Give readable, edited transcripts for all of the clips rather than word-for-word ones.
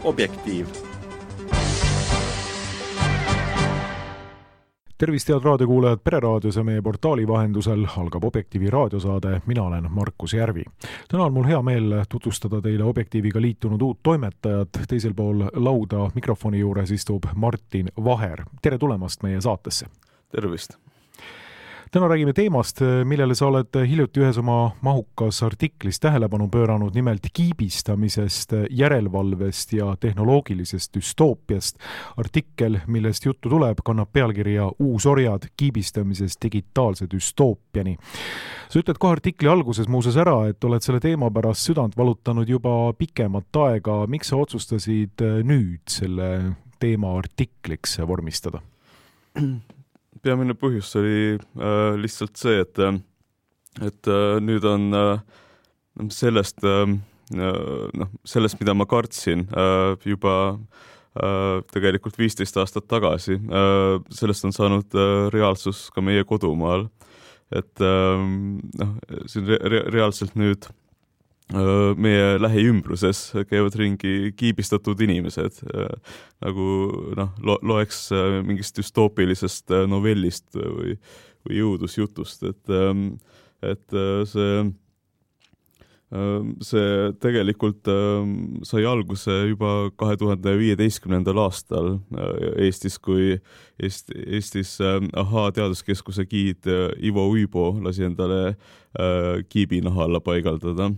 Objektiiv. Tervist, head raadiokuulajad Pereraadios ja meie portaali vahendusel algab Objektiivi raadiosaade. Mina olen Markus Järvi. Täna on mul hea meel tutvustada teile Objektiiviga liitunud uut toimetajat. Teisel pool lauda mikrofoni juures istub Martin Vaher. Tere tulemast meie saatesse. Tervist. Täna räägime teemast, millele sa oled hiljuti ühes oma mahukas artiklis tähelepanu pööranud, nimelt kiibistamisest, järelevalvest ja tehnoloogilisest düstoopiast. Artikkel, millest juttu tuleb, kannab pealkirja Uusorjad kiibistamisest digitaalse düstoopiani. Sa ütled kohe artikli alguses muuses ära, et oled selle teema pärast südant valutanud juba pikemat aega. Miks sa otsustasid nüüd selle teema artikliks vormistada? Peamine põhjus oli lihtsalt see, et nüüd on sellest, mida ma kartsin juba tegelikult 15 aastat tagasi. Sellest on saanud reaalsus ka meie kodumaal. Et siin reaalselt nüüd meie lähiümbruses käivad ringi kiibistatud inimesed, nagu loeks mingist düstoopilisest novellist või jõudusjutust, et see tegelikult sai alguse juba 2015. aastal Eestis, kui Eestis AHA teaduskeskuse giid Ivo Uibo lasi endale kiibinaha alla paigaldada.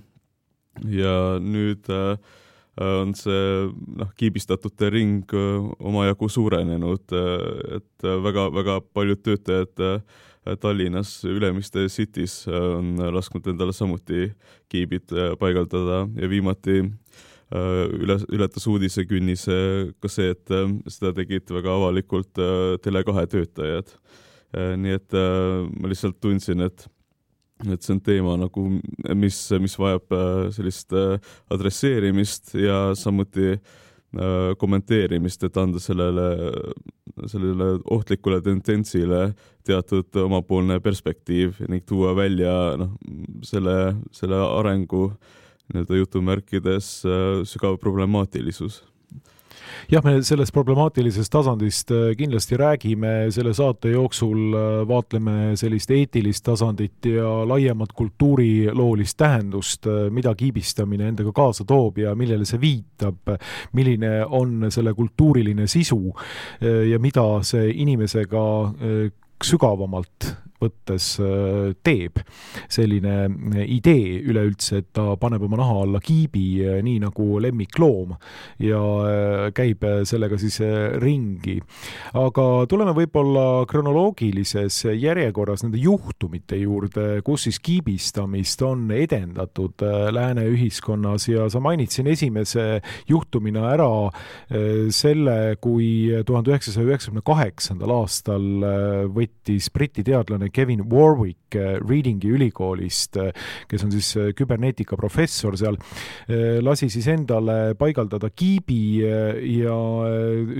Ja nüüd on see kiibistatute ring omajagu suurenenud, et väga paljud töötajad Tallinnas Ülemiste Cities on lasknud endale samuti kiibid paigaldada ja viimati ületas uudisekünnis ka see, et seda tegid väga avalikult Tele2 töötajad. Nii et ma lihtsalt tundsin, et see on teema, mis vajab sellist adresseerimist ja samuti kommenteerimist, et anda sellele ohtlikule tendentsile teatud omapoolne perspektiiv ning tuua välja selle arengu jutumärkides sügav problemaatilisus. Jah, me sellest problemaatilisest tasandist kindlasti räägime. Selle saate jooksul vaatleme sellist eetilist tasandit ja laiemat kultuuriloolist tähendust, mida kiibistamine endaga kaasa toob ja millele see viitab, milline on selle kultuuriline sisu ja mida see inimesega sügavamalt võttes teeb. Selline idee üleüldse, et ta paneb oma naha alla kiibi nii nagu lemmikloom ja käib sellega siis ringi. Aga tuleme võib-olla kronoloogilises järjekorras nende juhtumite juurde, kus siis kiibistamist on edendatud lääne ühiskonnas ja sa mainitsin esimese juhtumina ära selle, kui 1998. aastal võttis Briti teadlane Kevin Warwick Readingi ülikoolist, kes on siis küberneetika professor seal, lasi siis endale paigaldada kiibi ja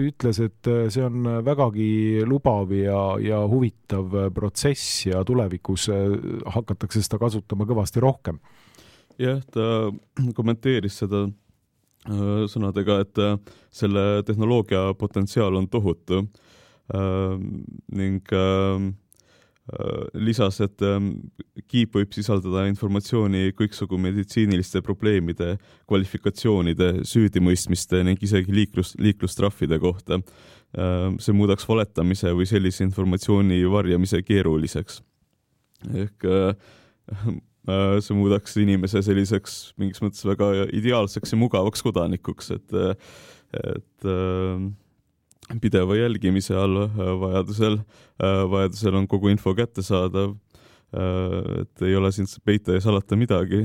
ütles, et see on vägagi lubav ja huvitav protsess ja tulevikus hakatakse seda kasutama kõvasti rohkem. Jah, ta kommenteeris seda sõnadega, et selle tehnoloogia potentsiaal on tohutu ning lisas, et kiip võib sisaldada informatsiooni kõiksugu meditsiiniliste probleemide, kvalifikatsioonide, süüdimõistmiste ning isegi liiklustraffide kohta. See muudaks valetamise või sellise informatsiooni varjamise keeruliseks. Ehk see muudaks inimese selliseks mingis mõttes väga ideaalseks ja mugavaks kodanikuks, et pideva jälgimise all vajadusel on kogu info kättesaadav, et ei ole siin peita ja salata midagi,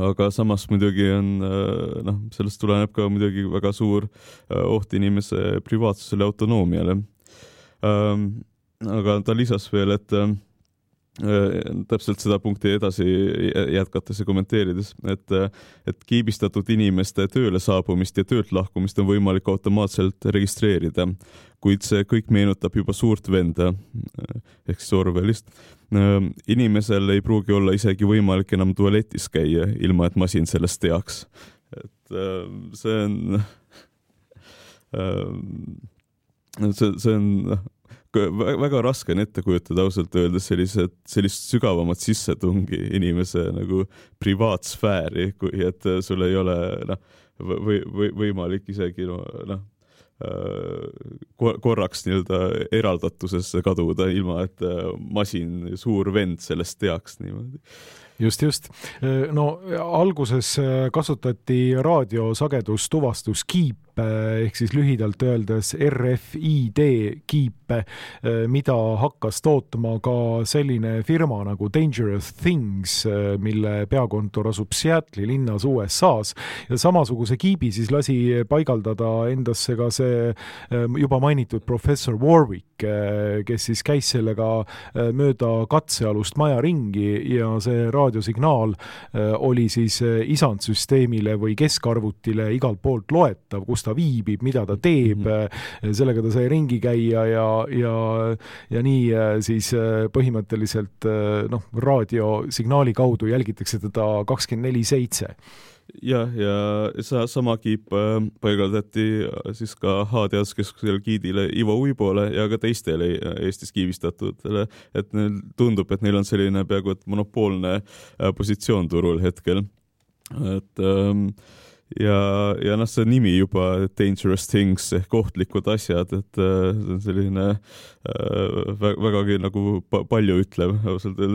aga samas muidugi on, sellest tuleneb ka muidugi väga suur oht inimese privaatsusele ja autonoomiale. Aga ta lisas veel, et täpselt seda punkti edasi jätkates ja kommenteerides, et kiibistatud inimeste tööle saabumist ja töölt lahkumist on võimalik automaatselt registreerida, kuid see kõik meenutab juba suurt venda ehk siis Orwellist. Inimesel ei pruugi olla isegi võimalik enam tualetis käia, ilma et masin sellest teaks. Et see on väga raske on ette kujutada ausalt öeldes sellist sügavamat sissetungi inimese nagu privaatsfääri, kui et sul ei ole võimalik isegi korraks nii-öelda eraldatusesse kaduda, ilma et masin, suur vend sellest teaks niimoodi. Just. No alguses kasutati raadiosagedustuvastuskiipe ehk siis lühidalt öeldes RFID kiipe, mida hakkas tootma ka selline firma nagu Dangerous Things, mille peakontor asub Seattle'i linnas USA-s ja samasuguse kiibi siis lasi paigaldada endasse ka see juba mainitud professor Warwick, kes siis käis sellega mööda katsealust maja ringi ja see raadiosignaal oli siis isandsüsteemile või keskarvutile igalt poolt loetav, kus ta viibib, mida ta teeb, sellega ta sai ringi käia ja nii siis põhimõtteliselt raadiosignaali kaudu jälgitakse teda 24/7. Ja sama kiip paigaldati siis ka H-teaduskeskusel giidile Ivo Uibole ja ka teistele Eestis kiibistatudele, et neil tundub, et neil on selline peaaegu et monopoolne positsioon turul hetkel. Et ja see nimi juba Dangerous Things ehk ohtlikud asjad, et see on selline vägagi nagu palju ütlev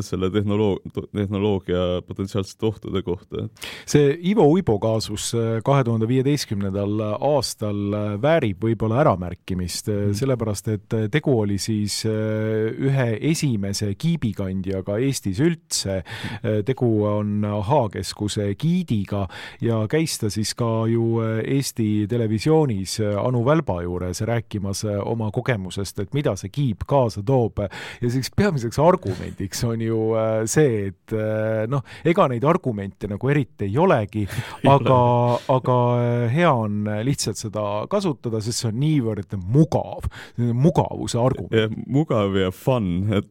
selle tehnoloogia potentsiaalsete ohtude kohta. See Ivo Uibo kaasus 2015. aastal väärib võib-olla äramärkimist, sellepärast et tegu oli siis ühe esimese kiibikandjaga Eestis üldse. Tegu on H-keskuse giidiga ja käis ta siis ka ju Eesti televisioonis Anu Välba juures rääkimas oma kogemusest, et mida see kiip kaasa toob. Ja siis peamiseks argumendiks on ju see, et ega neid argumente nagu eriti ei olegi, aga hea on lihtsalt seda kasutada, sest see on niivõrd mugav. Mugavuse argument. Ja, mugav ja fun, et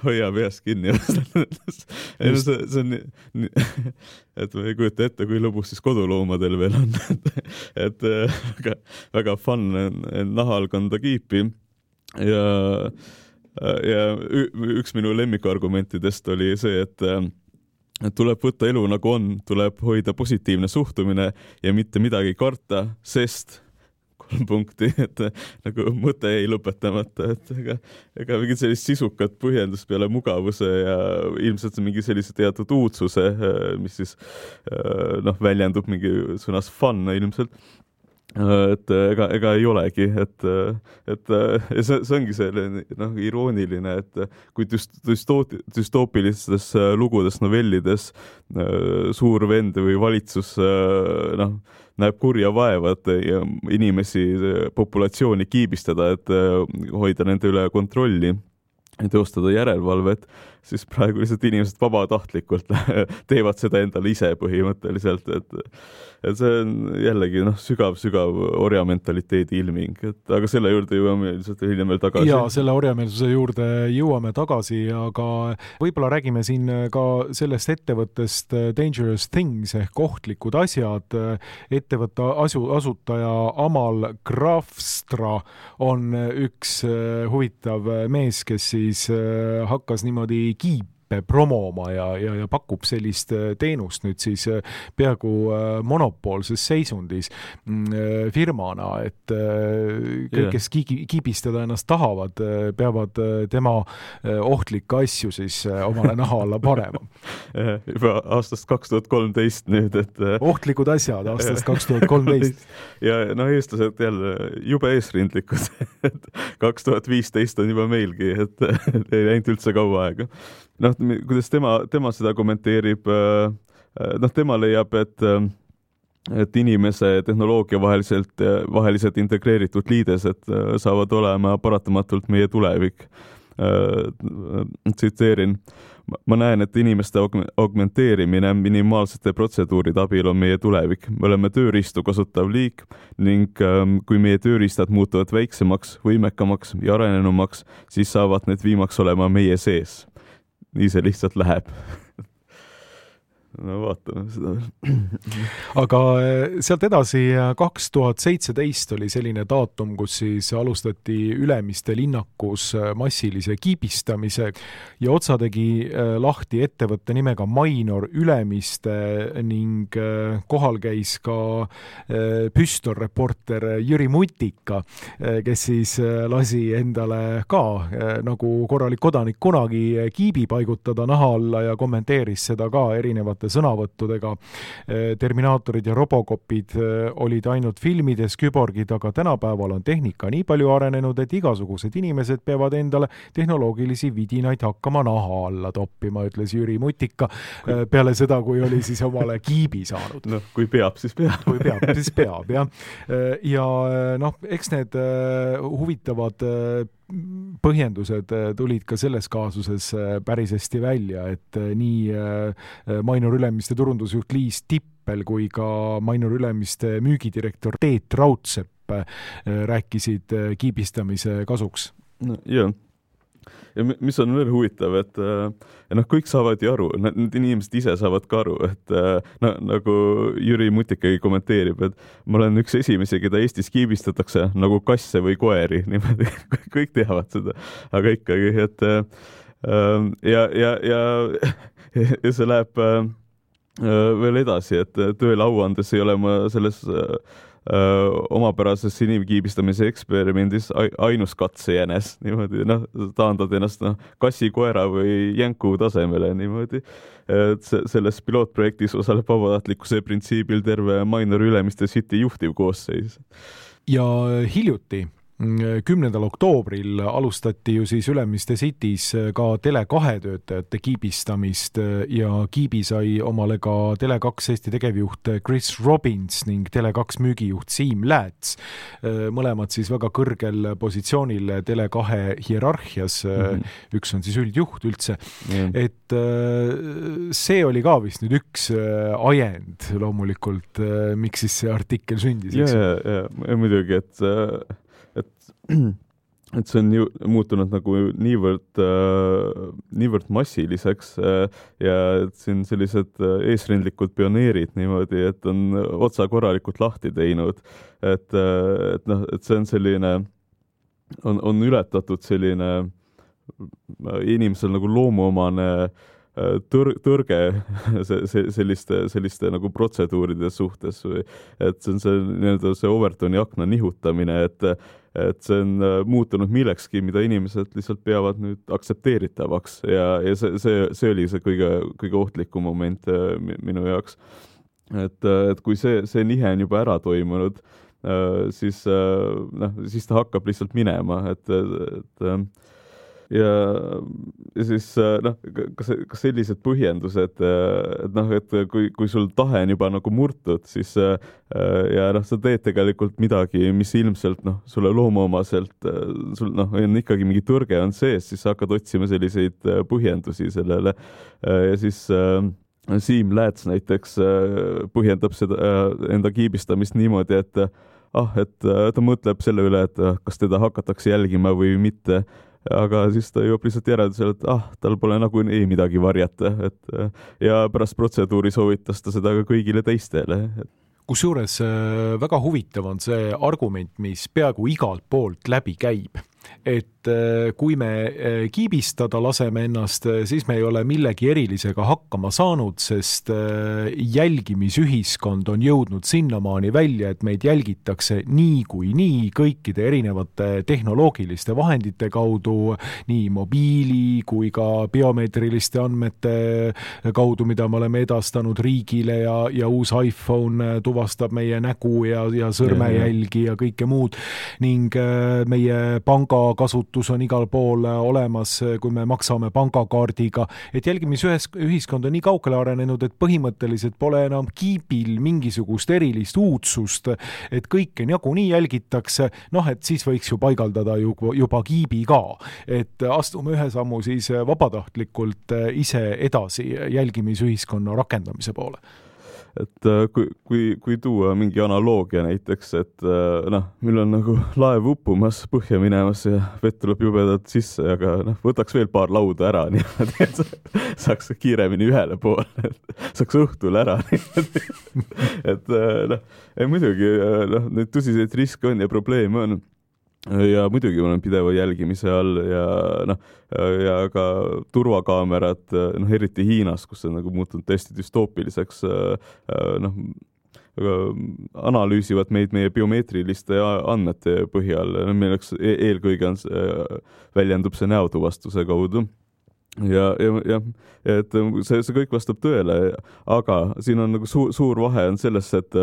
hoia peast kinni. See on et ma ei kujuta ette, kui lõbus siis koduloomadel veel on. et väga fun nahal kanda kiipi ja üks minu lemmikargumentidest oli see, et tuleb võtta elu nagu on, tuleb hoida positiivne suhtumine ja mitte midagi karta, sest 3 punkti, et nagu mõte ei lõpetamata, et ega mingit sellist sisukat põhjendust peale mugavuse ja ilmselt mingi sellise teatud uudsuse, mis siis väljendub mingi sõnas fun ilmselt. Et ega ei olegi, et see ongi selline irooniline, et kui düstoopilistes lugudes, novellides suur vend või valitsus näeb kurja vaevat ja inimesi populatsiooni kiibistada, et hoida nende üle kontrolli ja teostada järelevalvet, siis praegu lihtsalt inimesed vabatahtlikult teevad seda endale ise põhimõtteliselt, et see on jällegi sügav orjamentaliteedi ilming, aga selle juurde jõuame lihtsalt hiljem veel tagasi. Ja selle orjameelsuse juurde jõuame tagasi, aga võib-olla räägime siin ka sellest ettevõttest Dangerous Things ehk ohtlikud asjad. Ettevõtte asutaja Amal Grafstra on üks huvitav mees, kes siis hakkas niimoodi kiipe promoma ja pakub sellist teenust nüüd siis peaaegu monopoolses seisundis firmana, et kõik, kes kiibistada ennast tahavad, peavad tema ohtlikke asju siis omale naha alla panema. Juba aastast 2013 nüüd, et ohtlikud asjad aastast 2013. Ja eestlased jälle jube eesrindlikud, et 2015 on juba meilgi, et ei läinud üldse kaua aega. Kuidas tema seda kommenteerib, tema leiab, et inimese tehnoloogia vahelised integreeritud liidesed saavad olema paratamatult meie tulevik. tsiteerin, ma näen, et inimeste augmenteerimine minimaalsete protseduuride abil on meie tulevik. Me oleme tööriistu kasutav liik ning kui meie tööriistad muutuvad väiksemaks, võimekamaks ja arenenumaks, siis saavad need viimaks olema meie sees. Nii see lihtsalt läheb. No vaatame seda. Aga sealt edasi 2017 oli selline daatum, kus siis alustati Ülemiste linnakus massilise kiibistamise ja otsa tegi lahti ettevõtte nimega Mainor Ülemiste ning kohal käis ka püstorreporter Jüri Mutika, kes siis lasi endale ka nagu korralik kodanik kunagi kiibi paigutada naha alla ja kommenteeris seda ka erinevate sõnavõttudega. Terminaatorid ja robocopid olid ainult filmides, küborgid, aga tänapäeval on tehnika nii palju arenenud, et igasugused inimesed peavad endale tehnoloogilisi vidinaid hakkama naha alla toppima, ütles Jüri Mutika peale seda, kui oli siis omale kiibi saanud. No, kui peab, siis peab. Kui peab, siis peab, jah. Ja eks need huvitavad põhjendused tulid ka selles kaasuses päris hästi välja, et nii Mainor Ülemiste turundusjuht Liis Tippel kui ka Mainor Ülemiste müügidirektor Teet Raudsepp rääkisid kiibistamise kasuks. No, jah. Ja mis on veel huvitav, et kõik saavad ju aru, need inimesed ise saavad ka aru, et nagu Jüri Mutikagi kommenteerib, et ma olen üks esimesi, keda Eestis kiibistatakse nagu kasse või koeri, niimoodi, kõik teavad seda, aga ikkagi, et ja see läheb veel edasi, et tööle auandes ei ole ma selles omapärases inimkiibistamise eksperimendis ainus katsejänes, niimoodi, taandad ennast kassi, koera või jänku tasemele, niimoodi. Selles pilootprojektis osaleb vabatahtlikkuse printsiibil terve Mainor Ülemiste City juhtivkoosseis. Ja hiljuti 10. oktoobril alustati ju siis Ülemiste Cities ka Tele2 töötajate kiibistamist ja kiibi sai omale ka Tele2 Eesti tegevjuht Chris Robbins ning Tele2 müügijuht Siim Lääts. Mõlemad siis väga kõrgel positsioonil Tele2 hierarhias, üks on siis üldjuht üldse, et see oli ka vist nüüd üks ajend loomulikult, miks siis see artikkel sündis. Ja, muidugi, et see on ju muutunud nagu niivõrd massiliseks ja siin sellised eesrindlikud pioneerid niimoodi, et on otsa korralikult lahti teinud, et see on selline, on ületatud selline inimesel nagu loomuomane tõrge selliste nagu protseduuride suhtes, et see on see Overtoni akna nihutamine, et see on muutunud millekski, mida inimesed lihtsalt peavad nüüd aktsepteeritavaks ja see oli see kõige ohtlikum moment minu jaoks. Et kui see nihe on juba ära toimunud, siis ta hakkab lihtsalt minema, ja siis ka sellised põhjendused, et kui sul tahe on juba nagu murtud, siis ja sa teed tegelikult midagi, mis ilmselt sulle loomuomaselt sul on ikkagi mingi tõrge on sees, siis sa hakkad otsima selliseid põhjendusi sellele ja siis Siim Lääts näiteks põhjendab seda enda kiibistamist niimoodi, et ta mõtleb selle üle, et kas teda hakatakse jälgima või mitte, aga siis ta jõuab lihtsalt järeldusele, et tal pole nagu ei midagi varjata, ja pärast protseduuri soovitas ta seda ka kõigile teistele. Kusjuures väga huvitav on see argument, mis peaaegu igalt poolt läbi käib, et kui me kiibistada laseme ennast, siis me ei ole millegi erilisega hakkama saanud, sest jälgimisühiskond on jõudnud sinnamaani välja, et meid jälgitakse nii kui nii kõikide erinevate tehnoloogiliste vahendite kaudu, nii mobiili kui ka biomeetriliste andmete kaudu, mida me oleme edastanud riigile ja uus iPhone tuvastab meie nägu ja sõrmejälgi ja kõike muud ning meie panga pangakasutus on igal pool olemas, kui me maksame pangakaardiga, et jälgimisühiskond on nii kaugele arenenud, et põhimõtteliselt pole enam kiibil mingisugust erilist uudsust, et kõike nagunii jälgitakse, et siis võiks ju paigaldada juba kiibi ka, et astume ühe sammu siis vabatahtlikult ise edasi jälgimisühiskonna rakendamise poole. Et kui tuua mingi analoogia näiteks, et meil on nagu laev uppumas, põhja minemas ja vett tuleb jubedalt sisse, aga võtaks veel paar lauda ära, niimoodi, et saaks kiiremini ühele poole, saaks õhtul ära. Et muidugi neid tõsiseid riske on ja probleeme on. Ja muidugi ma olen pideva jälgimise all ja ka turvakaamerad, eriti Hiinas, kus on nagu muutunud täiesti dystoopiliseks, analüüsivad meid meie biomeetriliste andmete põhjal. Milleks eelkõige väljendub see näotuvastuse kaudu. Ja et see kõik vastab tõele, aga siin on nagu suur vahe on selles, et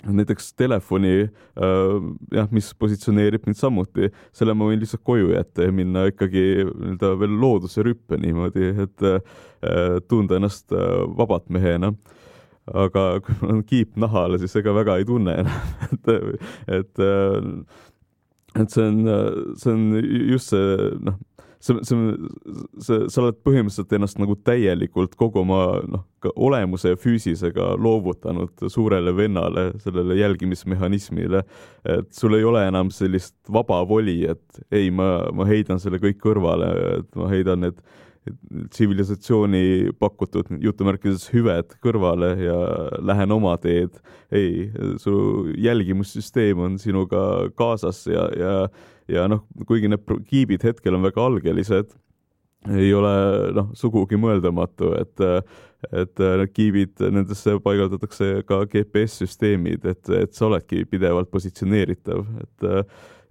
näiteks telefoni, mis positsioneerib mind samuti, selle ma võin lihtsalt koju jätta ja minna ikkagi veel looduse rüppe niimoodi, et tunda ennast vabat mehena. Aga kui mul on kiip nahale, siis ega väga ei tunne enam. Et see on just see, sa oled põhimõtteliselt ennast nagu täielikult kogu oma olemuse ja füüsisega loovutanud suurele vennale, sellele jälgimismehhanismile, et sul ei ole enam sellist vaba voli, et ei, ma heidan selle kõik kõrvale, et ma heidan need tsivilisatsiooni pakutud jutumärkides hüved kõrvale ja lähen oma teed. Ei, su jälgimussüsteem on sinuga kaasas ja kuigi need kiibid hetkel on väga algelised, ei ole sugugi mõeldamatu, et kiibid, nendesse paigaldatakse ka GPS-süsteemid, et sa oledki pidevalt positsioneeritav,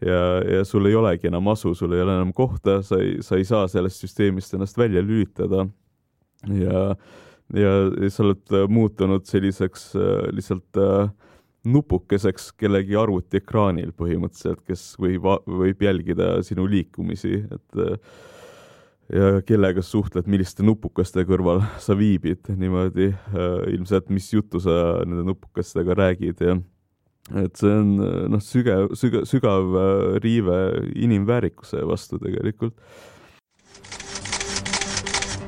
ja sul ei olegi enam asu, sul ei ole enam kohta, sa ei saa sellest süsteemist ennast välja lülitada ja sa oled muutunud selliseks lihtsalt nupukeseks kellegi arvutiekraanil põhimõtteliselt, kes võib jälgida sinu liikumisi, ja kellega suhtled, milliste nupukaste kõrval sa viibid niimoodi, ilmselt mis juttu sa nende nupukastega räägid ja et see on sügav riive inimväärikuse vastu tegelikult.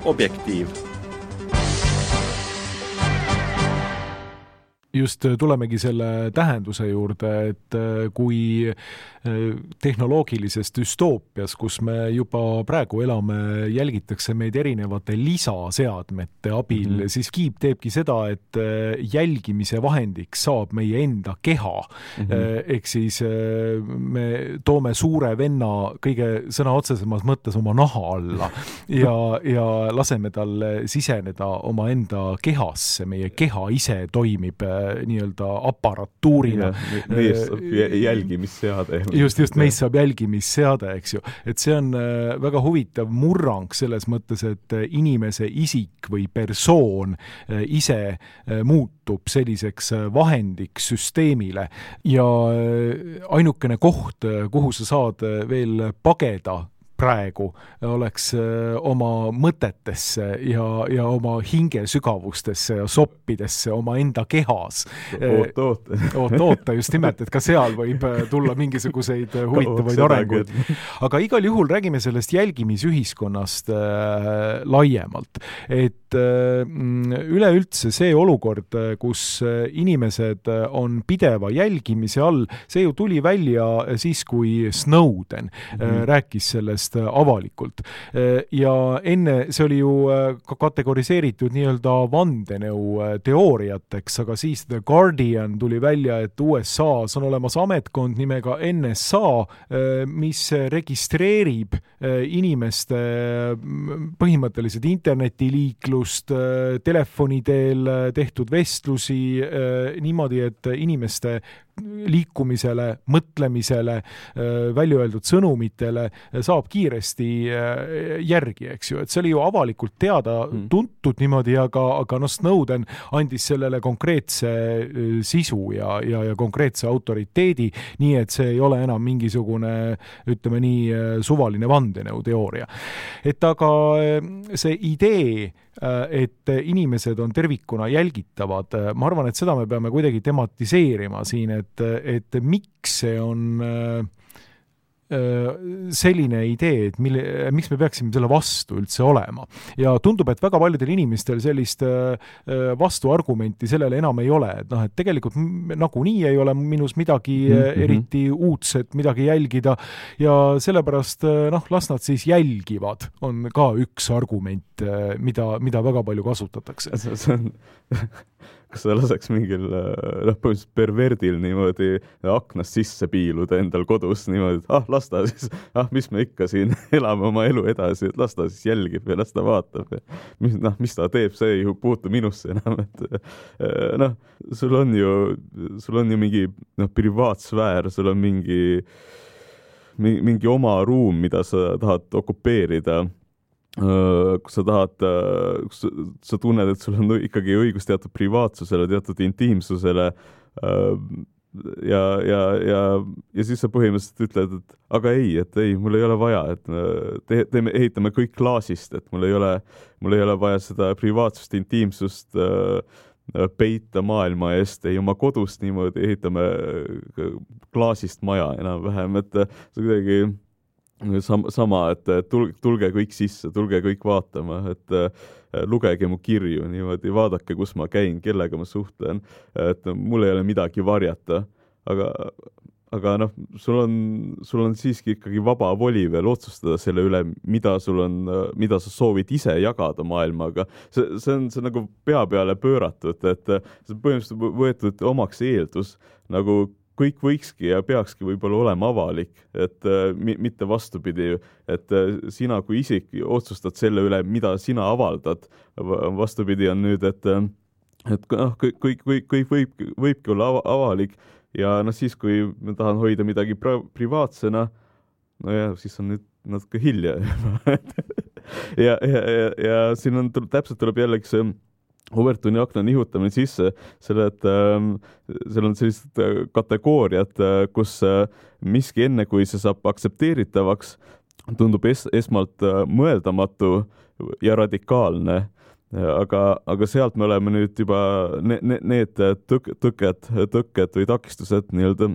Objektiiv. Just tulemegi selle tähenduse juurde, et kui tehnoloogilises düstoopias, kus me juba praegu elame, jälgitakse meid erinevate lisaseadmete abil, siis kiip teebki seda, et jälgimise vahendiks saab meie enda keha. Ehk siis me toome suure venna kõige sõna otsesemas mõttes oma naha alla ja laseme tal siseneda oma enda kehasse. Meie keha ise toimib nii-öelda aparatuurina. Meist saab jälgimisseade. Just meist saab jälgimisseade, eks ju. Et see on väga huvitav murrang selles mõttes, et inimese isik või persoon ise muutub selliseks vahendiks süsteemile ja ainukene koht, kuhu sa saad veel pageda praegu oleks oma mõtetesse ja oma hinge sügavustesse ja soppidesse oma enda kehas. Oota just nimelt, et ka seal võib tulla mingisuguseid huvitavaid arenguid. Aga igal juhul räägime sellest jälgimisühiskonnast laiemalt. Et üleüldse see olukord, kus inimesed on pideva jälgimise all, see ju tuli välja siis, kui Snowden rääkis sellest avalikult. Ja enne see oli ju ka kategoriseeritud nii-öelda vandenõu teooriateks, aga siis The Guardian tuli välja, et USA-s on olemas ametkond nimega NSA, mis registreerib inimeste põhimõtteliselt internetiliiklust, telefoni teel tehtud vestlusi niimoodi, et inimeste liikumisele, mõtlemisele, välja öeldud sõnumitele saab kiiresti järgi, eks ju, et see oli ju avalikult teada tuntud niimoodi, aga Snowden andis sellele konkreetse sisu ja konkreetse autoriteedi, nii et see ei ole enam mingisugune, ütleme nii, suvaline vandenõuteooria. Et aga see idee, et inimesed on tervikuna jälgitavad, ma arvan, et seda me peame kuidagi tematiseerima siin, et miks see on selline idee, et miks me peaksime selle vastu üldse olema. Ja tundub, et väga paljudel inimestel sellist vastuargumenti sellele enam ei ole. Et et tegelikult nagunii ei ole minus midagi eriti uudset, midagi jälgida ja sellepärast las nad siis jälgivad, on ka üks argument, mida väga palju kasutatakse. See on kas sa laseks mingil põhimõtteliselt perverdil niimoodi aknast sisse piiluda endal kodus niimoodi, et las ta siis, mis me ikka siin elame oma elu edasi, et las ta siis jälgib ja las ta vaatab. Mis ta teeb, see ei puutu minusse enam. Et, sul on ju mingi privaatsfäär, sul on mingi oma ruum, mida sa tahad okupeerida. Kus sa tunned, et sul on ikkagi õigus teatud privaatsusele, teatud intiimsusele ja siis sa põhimõtteliselt ütled, et aga ei, mul ei ole vaja, et ehitame kõik klaasist, et mul ei ole vaja seda privaatsust, intiimsust peita maailma eest, ei oma kodust niimoodi ehitame klaasist maja enam-vähem, et see kuidagi sama, et tulge kõik sisse, tulge kõik vaatama, et lugege mu kirju niimoodi, vaadake, kus ma käin, kellega ma suhtlen, et mul ei ole midagi varjata, aga sul on siiski ikkagi vaba voli veel otsustada selle üle, mida sa soovid ise jagada maailmaga. See on nagu pea peale pööratud, et see põhimõtteliselt võetud omaks eeldus, nagu kõik võikski ja peakski võib-olla olema avalik, et mitte vastupidi, et sina kui isik otsustad selle üle, mida sina avaldad. Vastupidi on nüüd, et kõik võibki olla avalik ja siis, kui ma tahan hoida midagi privaatsena, siis on nüüd natuke hilja. ja siin on täpselt tuleb jällegi see Overtoni akna nihutamine sisse, selle, et seal on sellised kategooriad, kus miski enne, kui see saab aktsepteeritavaks, tundub esmalt mõeldamatu ja radikaalne. Aga sealt me oleme nüüd juba need tõkked või takistused nii-öelda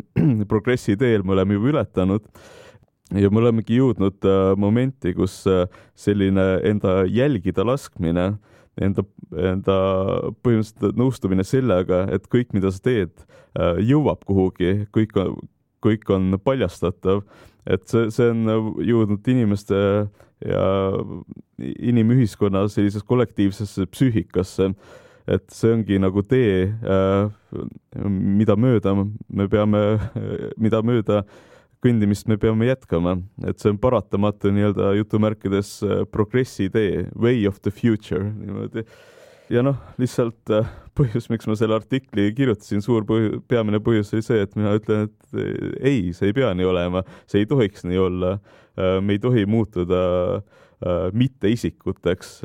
progressi teel me oleme juba ületanud ja me olemegi jõudnud momenti, kus selline enda jälgida laskmine, enda põhimõtteliselt nõustumine sellega, et kõik, mida sa teed, jõuab kuhugi, kõik on paljastatav, et see on jõudnud inimeste ja inimühiskonna sellises kollektiivsesse psüühikasse, et see ongi nagu tee, mida mööda kõndimist me peame jätkama, et see on paratamatu nii-öelda jutumärkides progressi tee, way of the future niimoodi. Ja lihtsalt põhjus, miks ma selle artikli kirjutasin, peamine põhjus oli see, et mina ütlen, et ei, see ei pea nii olema, see ei tohiks nii olla, me ei tohi muutuda mitte isikuteks,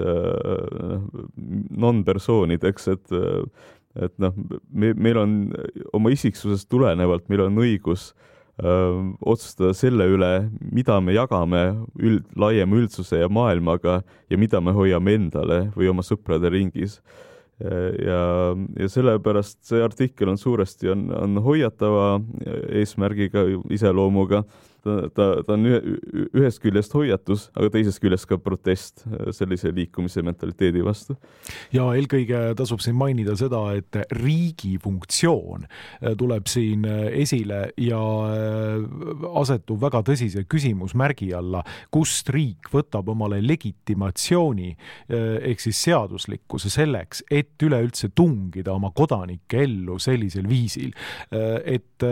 non-persoonideks, et meil on oma isiksusest tulenevalt, meil on õigus otsustada selle üle, mida me jagame laiema üldsuse ja maailmaga ja mida me hoiame endale või oma sõprade ringis. Ja sellepärast see artikkel on suuresti on hoiatava eesmärgiga, iseloomuga. Ta on ühest küljest hoiatus, aga teisest küljest ka protest sellise liikumise mentaliteedi vastu. Ja eelkõige tasub siin mainida seda, et riigi funktsioon tuleb siin esile ja asetub väga tõsise küsimusmärgi alla, kust riik võtab omale legitimatsiooni ehk siis seaduslikkuse selleks, et üleüldse tungida oma kodanike ellu sellisel viisil. Et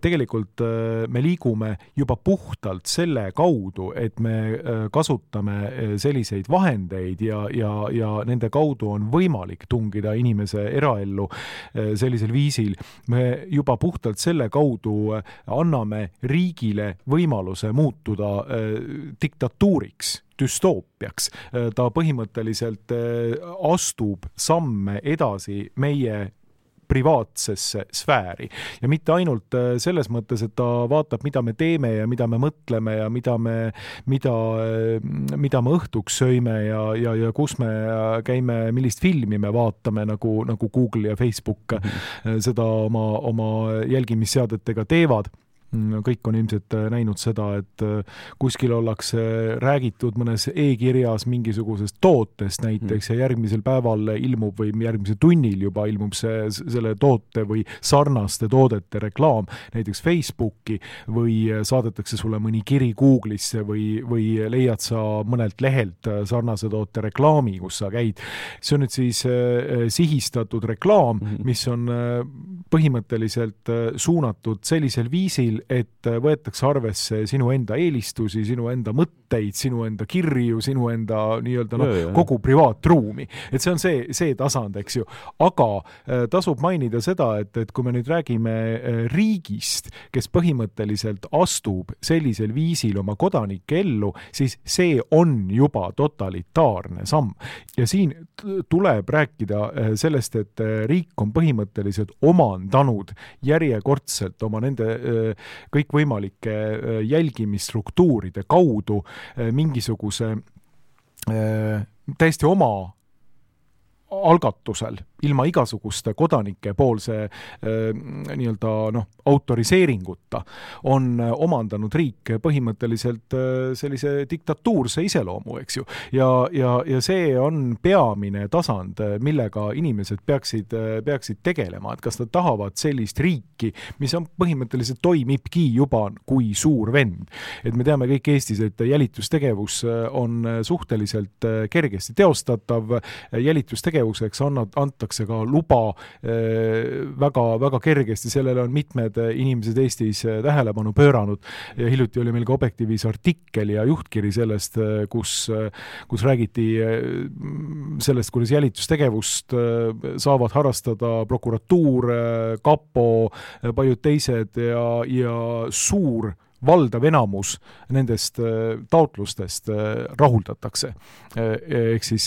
tegelikult me liigume juba puhtalt selle kaudu, et me kasutame selliseid vahendeid ja nende kaudu on võimalik tungida inimese eraellu sellisel viisil, me juba puhtalt selle kaudu anname riigile võimaluse muutuda diktatuuriks, düstoopiaks. Ta põhimõtteliselt astub samme edasi meie privaatsesse sfääri. Ja mitte ainult selles mõttes, et ta vaatab, mida me teeme ja mida me mõtleme ja mida me õhtuks söime ja kus me käime, millist filmi me vaatame, nagu Google ja Facebook seda oma jälgimisseadetega teevad. Kõik on ilmselt näinud seda, et kuskil ollakse räägitud mõnes e-kirjas mingisugusest tootest näiteks ja järgmisel päeval ilmub või järgmisel tunnil juba ilmub selle toote või sarnaste toodete reklaam näiteks Facebooki või saadetakse sulle mõni kiri Google'isse või leiad sa mõnelt lehelt sarnase toote reklaami, kus sa käid. See on nüüd siis sihistatud reklaam, mis on põhimõtteliselt suunatud sellisel viisil, et võetakse arvesse sinu enda eelistusi, sinu enda mõtteid, sinu enda kirju, sinu enda kogu privaatruumi. Et see on see tasand, eks ju. Aga tasub mainida seda, et kui me nüüd räägime riigist, kes põhimõtteliselt astub sellisel viisil oma kodanike ellu, siis see on juba totalitaarne samm. Ja siin tuleb rääkida sellest, et riik on põhimõtteliselt omandanud järjekordselt oma nende kõikvõimalike jälgimisstruktuuride kaudu mingisuguse täiesti oma algatusel, ilma igasuguste kodanike poolse autoriseeringuta on omandanud riik põhimõtteliselt sellise diktatuurse iseloomu, eks ju. Ja see on peamine tasand, millega inimesed peaksid tegelema, et kas nad tahavad sellist riiki, mis on põhimõtteliselt toimibki juba kui suur vend. Et me teame kõik Eestis, et jälitustegevus on suhteliselt kergesti teostatav, jälitustegevuseks antakse ka luba väga, väga kergesti, sellele on mitmed inimesed Eestis tähelepanu pööranud ja hiljuti oli meil ka Objektiivis artikkel ja juhtkiri sellest, kus räägiti sellest, kuidas jälitustegevust saavad harrastada prokuratuur, kapo, paljud teised ja suur valdav enamus nendest taotlustest rahuldatakse. Ehk siis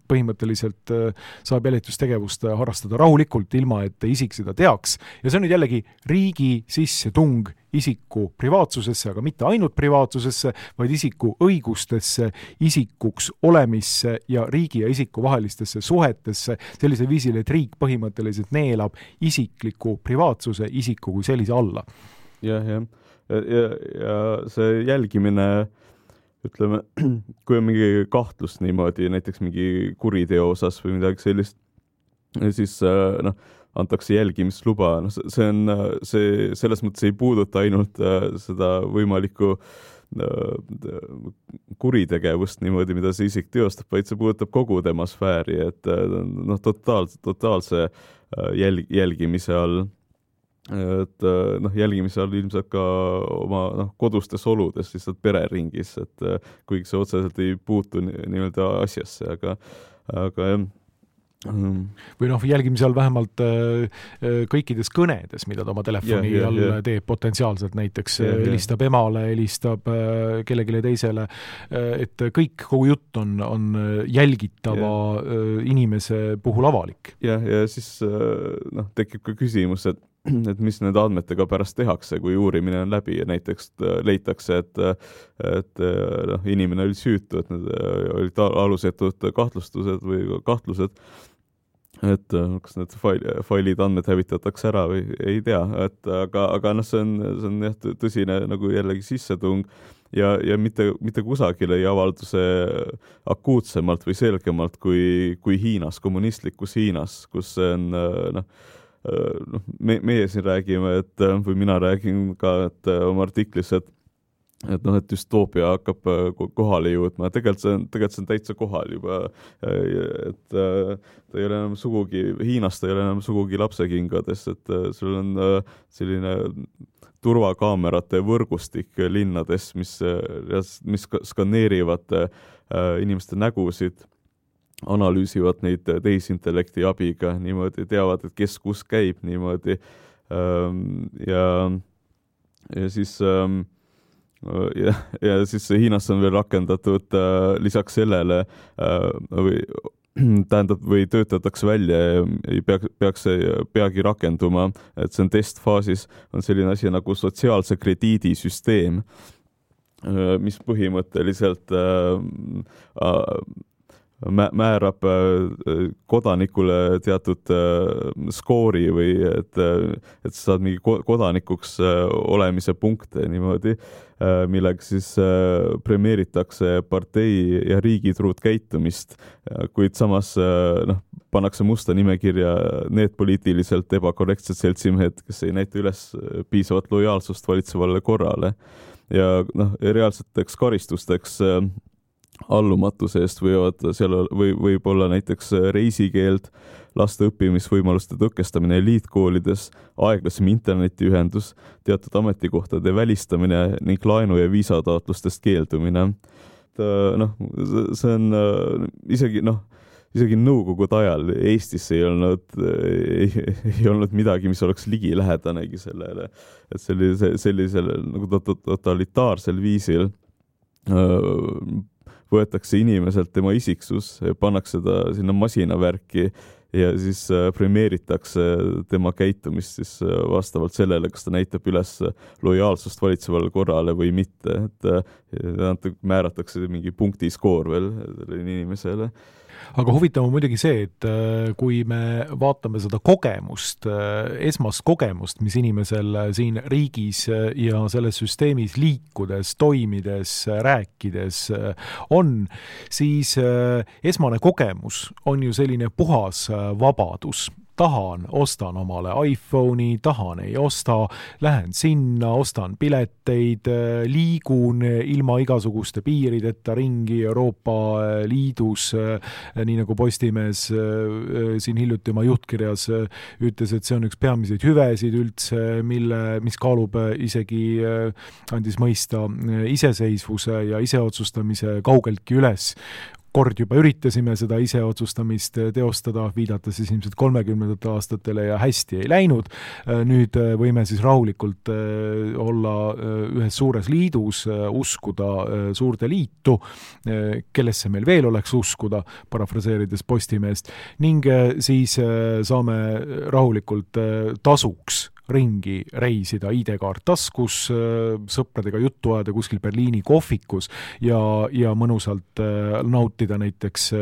põhimõtteliselt saab jälitustegevust harrastada rahulikult, ilma et isik seda teaks. Ja see on nüüd jällegi riigi sissetung isiku privaatsusesse, aga mitte ainult privaatsusesse, vaid isiku õigustesse, isikuks olemisse ja riigi ja isiku vahelistesse suhetesse sellisel viisil, et riik põhimõtteliselt neelab isikliku privaatsuse isiku kui sellise alla. Ja see jälgimine, ütleme, kui on mingi kahtlus niimoodi, näiteks mingi kuriteo osas või midagi sellist, siis antakse jälgimisluba. See selles mõttes ei puuduta ainult seda võimalikku kuritegevust niimoodi, mida see isik teostab, vaid see puudutab kogu tema sfääri, et totaalse jälgimise all. Et jälgimise all ilmselt ka oma kodustes oludes, lihtsalt pereringis, et kuigi see otseselt ei puutu nii-öelda asjasse, aga jah. Või jälgimise all vähemalt kõikides kõnedes, mida ta oma telefoni all teeb potentsiaalselt, näiteks helistab emale, helistab kellelegi teisele, et kogu jutt on jälgitava inimese puhul avalik. Ja siis tekib ka küsimus, et mis nende andmetega pärast tehakse, kui uurimine on läbi ja näiteks leitakse, et inimene oli süütu, et need olid alusetud kahtlustused või kahtlused, et kas need failid, andmed hävitatakse ära või ei tea, aga see on tõsine nagu jällegi sissetung ja mitte kusagil ei avalduse akuutsemalt või selgemalt kui Hiinas, kommunistlikus Hiinas, kus see on meie siin räägime, või mina räägin ka, et oma artiklis, et noh, et düstoopia hakkab kohale jõudma, tegelikult see on täitsa kohal juba, et ta ei ole enam sugugi, Hiinas ta ei ole enam sugugi lapsekingades, et sul on selline turvakaamerate võrgustik linnades, mis skaneerivad inimeste nägusid, analüüsivad neid tehisintellekti abiga, niimoodi teavad, et kes kus käib niimoodi ja siis ja siis Hiinas on veel rakendatud lisaks sellele või töötatakse välja ja peaks peagi rakenduma, et see on testfaasis, on selline asi nagu sotsiaalse krediidisüsteem, mis põhimõtteliselt määrab kodanikule teatud skoori või et sa saad mingi kodanikuks olemise punkte niimoodi, millega siis premeeritakse partei ja riigitruud käitumist, kuid samas pannakse musta nimekirja need poliitiliselt ebakorrektsed seltsimehed, kes ei näita üles piisavat lojaalsust valitsevale korrale ja reaalseteks karistusteks allumatuse eest võib olla näiteks reisikeeld, laste õppimisvõimaluste tõkestamine eliitkoolides, aeglasem internetiühendus, teatud ametikohtade välistamine ning laenu- ja viisataotlustest keeldumine. See on isegi nõukogude ajal Eestis ei olnud midagi, mis oleks ligilähedanegi sellele, et sellisel nagu totalitaarsel viisil võetakse inimeselt tema isiksus, pannakse ta sinna masinavärki ja siis premeeritakse tema käitumist siis vastavalt sellele, kas ta näitab üles lojaalsust valitsevale korrale või mitte, et määratakse mingi punktiskoor veel inimesele. Aga huvitav on muidugi see, et kui me vaatame seda kogemust, esmast kogemust, mis inimesel siin riigis ja selles süsteemis liikudes, toimides, rääkides on, siis esmane kogemus on ju selline puhas vabadus. Tahan, ostan omale iPhone'i, tahan, ei osta, lähen sinna, ostan pileteid, liigun ilma igasuguste piirideta ringi Euroopa Liidus, nii nagu Postimees siin hiljuti oma juhtkirjas ütles, et see on üks peamiseid hüvesid üldse, mis kaalub isegi, andis mõista iseseisvuse ja iseotsustamise kaugeltki üles. Kord juba üritasime seda iseotsustamist teostada, viidata siis ilmselt 30. aastatele ja hästi ei läinud. Nüüd võime siis rahulikult olla ühes suures liidus, uskuda suurde liitu, kellesse meil veel oleks uskuda, parafraseerides Postimeest, ning siis saame rahulikult tasuks ringi reisida, ID-kaart taskus, sõpradega juttu ajada kuskil Berliini kohvikus ja mõnusalt nautida näiteks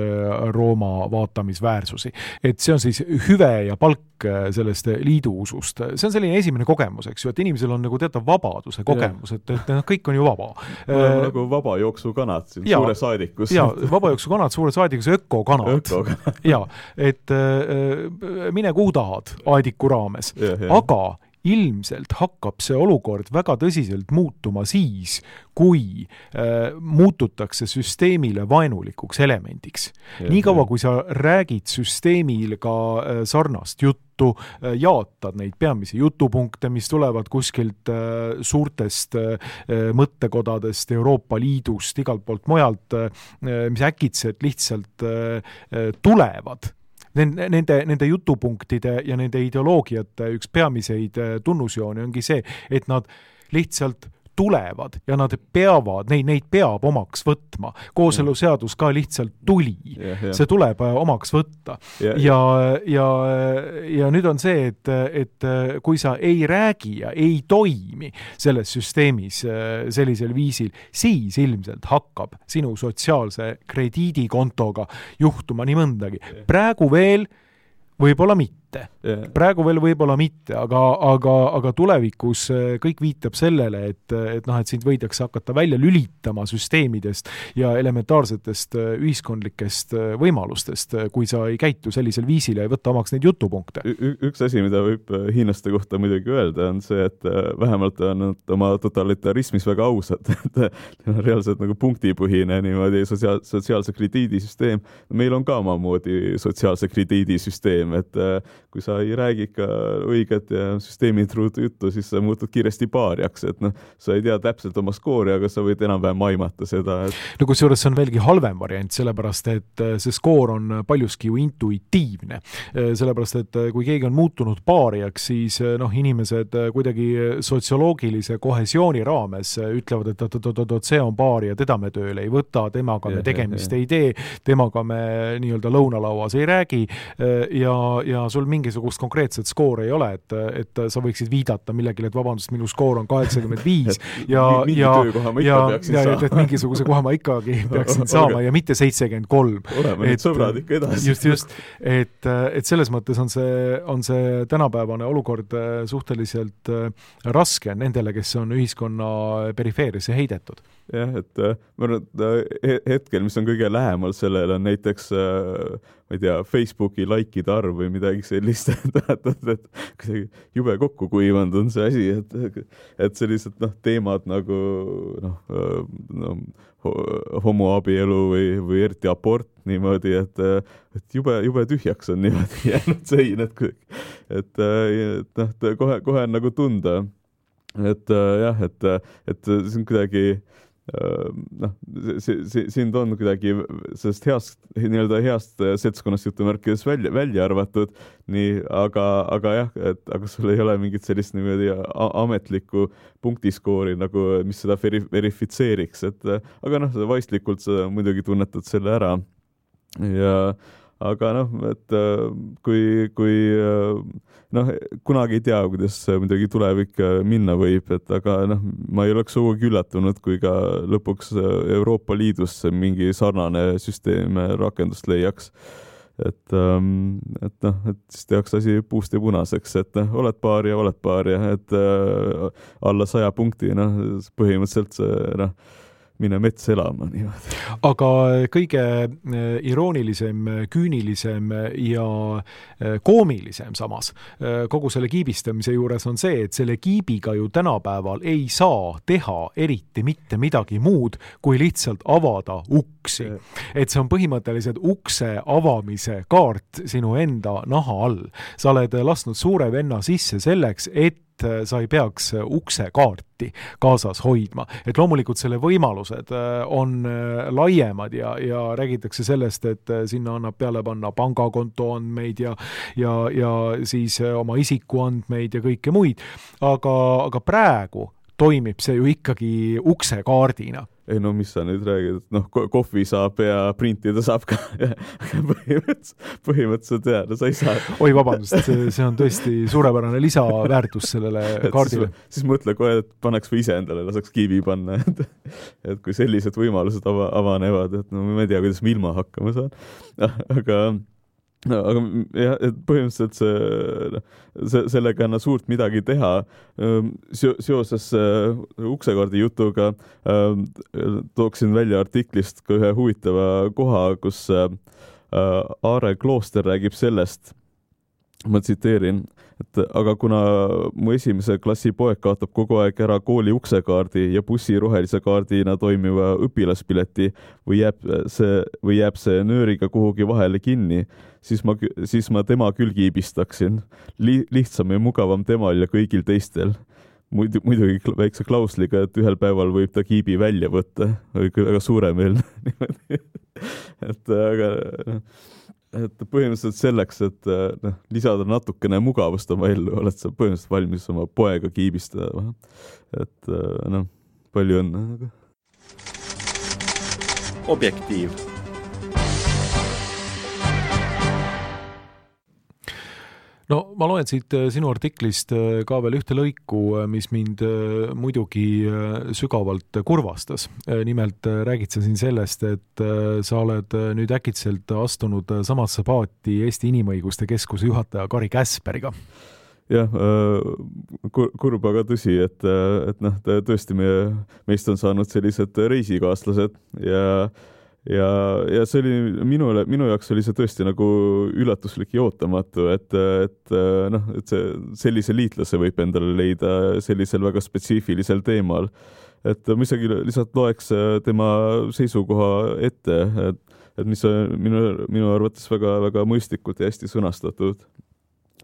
Rooma vaatamisväärsusi. Et see on siis hüve ja palk sellest liiduusust. See on selline esimene kogemus, eks ju, et inimesel on nagu teatav vabaduse kogemus, et kõik on ju vaba. Nagu vabajooksukanad siin suure saadikus. Ja, vabajooksukanad suure saadikus, ökokanad. Ja, et mine kuhu tahad aediku raames. Aga ilmselt hakkab see olukord väga tõsiselt muutuma siis, kui muututakse süsteemile vaenulikuks elemendiks. Niikaua, kui sa räägid süsteemil ka sarnast juttu, jaatad neid peamisi jutupunkte, mis tulevad kuskilt suurtest mõttekodadest, Euroopa Liidust, igalt poolt mujalt, mis äkitselt lihtsalt tulevad. Nende jutupunktide ja nende ideoloogiate üks peamiseid tunnusjooni ongi see, et nad lihtsalt tulevad ja nad peavad, neid peab omaks võtma. Kooseluseadus ka lihtsalt tuli. See tuleb omaks võtta. Ja nüüd on see, et kui sa ei räägi ja ei toimi selles süsteemis sellisel viisil, siis ilmselt hakkab sinu sotsiaalse krediidikontoga juhtuma nii mõndagi. Praegu veel võib-olla mitte. mitte. Praegu veel võib-olla mitte, aga tulevikus kõik viitab sellele, et sind võidakse hakata välja lülitama süsteemidest ja elementaarsetest ühiskondlikest võimalustest, kui sa ei käitu sellisel viisil ja ei võta omaks neid jutupunkte. Üks asi, mida võib hiinlaste kohta muidugi öelda, on see, et vähemalt on nad oma totalitarismis väga ausad, et reaalselt nagu punktipõhine niimoodi sotsiaalse krediidisüsteem. Meil on ka omamoodi sotsiaalse krediidisüsteem, et kui sa ei räägi ikka õiget ja süsteemitruudu juttu, siis sa muutud kiiresti paariaks, et sa ei tea täpselt oma skoori, aga sa võid enam-vähem aimata seda. No kusjuures see on veelgi halvem variant, sellepärast et see skoor on paljuski ju intuitiivne. Sellepärast, et kui keegi on muutunud paariaks, siis inimesed kuidagi sotsioloogilise kohesiooni raames ütlevad, et see on paari ja teda me tööle ei võta, temaga me tegemist ei tee, temaga me nii-öelda lõunalauas ei räägi ja sul mingisugust konkreetset skoori ei ole, et sa võiksid viidata millegile, et vabandust, minu skoor on 85 et mingisuguse koha ma ikkagi peaksin saama ja mitte 73. Oleme nüüd sõbrad ikka edasi. Just, et selles mõttes on see tänapäevane olukord suhteliselt raske nendele, kes on ühiskonna perifeerisse heidetud. Jah, et ma arvan, et hetkel, mis on kõige lähemal sellele, on näiteks ma ei tea, Facebooki likeide arv või midagi sellist, et jube kokku kuivanud on see asi, et sellised teemad nagu homoabielu või eriti abort niimoodi, et jube tühjaks on niimoodi jäänud sein, et kohe on nagu tunda, et jah, et see on kuidagi sind on kuidagi sellest heast seltskonnast jutumärkides välja arvatud, nii, aga jah, aga sul ei ole mingit sellist niimoodi ametlikku punktiskoori, nagu, mis seda verifitseeriks, aga vaistlikult sa muidugi tunnetad selle ära aga et kui kunagi ei tea, kuidas midagi tulevik minna võib, aga ma ei oleks sugugi üllatunud, kui ka lõpuks Euroopa Liidus mingi sarnane süsteem rakendust leiaks. Et siis tehakse asi puust ja punaseks, et oled paar ja et alla 100 punkti, põhimõtteliselt mine mets elama. Niimoodi. Aga kõige iroonilisem, küünilisem ja koomilisem samas kogu selle kiibistamise juures on see, et selle kiibiga ju tänapäeval ei saa teha eriti mitte midagi muud, kui lihtsalt avada uksi. Et see on põhimõtteliselt ukse avamise kaart sinu enda naha all. Sa oled lasknud suure venna sisse selleks, et sa ei peaks uksekaarti kaasas hoidma. Et loomulikult selle võimalused on laiemad ja räägitakse sellest, et sinna annab peale panna pangakonto andmeid ja siis oma isikuandmeid ja kõike muid. Aga praegu toimib see ju ikkagi uksekaardina. Ei mis sa nüüd räägid, et kohvi saab ja printida saab ka põhimõtteliselt sa ei saa. Oi, vabandust, see on tõesti suurepärane lisaväärtus sellele kaardile. Siis mõtle kohe, et paneks või ise endale laseks kiibi panna, et kui sellised võimalused avanevad, et ma ei tea, kuidas ma ilma hakkama saan. Aga jah, et põhimõtteliselt sellega on suurt midagi teha. Seoses uksekaardi jutuga tooksin välja artiklist ka ühe huvitava koha, kus Aare Klooster räägib sellest, ma tsiteerin, et aga kuna mu esimese klassi poeg kaotab kogu aeg ära kooli uksekaardi ja bussi rohelise kaardina toimiva õpilaspileti või jääb see nööriga kuhugi vahele kinni, siis ma tema küll kiibistaksin. Lihtsam ja mugavam temal ja kõigil teistel. Muidugi väikse klausliga, et ühel päeval võib ta kiibi välja võtta. Väga suuremeelne. Et põhimõtteliselt selleks, et lisada natukene mugavust oma ellu, oled sa põhimõtteliselt valmis oma poega kiibistada. Et palju õnne. Objektiiv. No ma loen siit sinu artiklist ka veel ühte lõiku, mis mind muidugi sügavalt kurvastas. Nimelt räägid sa siin sellest, et sa oled nüüd äkitselt astunud samasse paati Eesti Inimõiguste Keskuse juhataja Kari Käsperiga. Jah, kurb, aga tõsi, et tõesti meist on saanud sellised reisikaaslased ja see oli minu jaoks oli see tõesti nagu üllatuslik ja ootamatu, et sellise liitlase võib endale leida sellisel väga spetsiifilisel teemal. Et ma isegi lihtsalt loeks tema seisukoha ette, et mis on minu arvates väga mõistlikult ja hästi sõnastatud.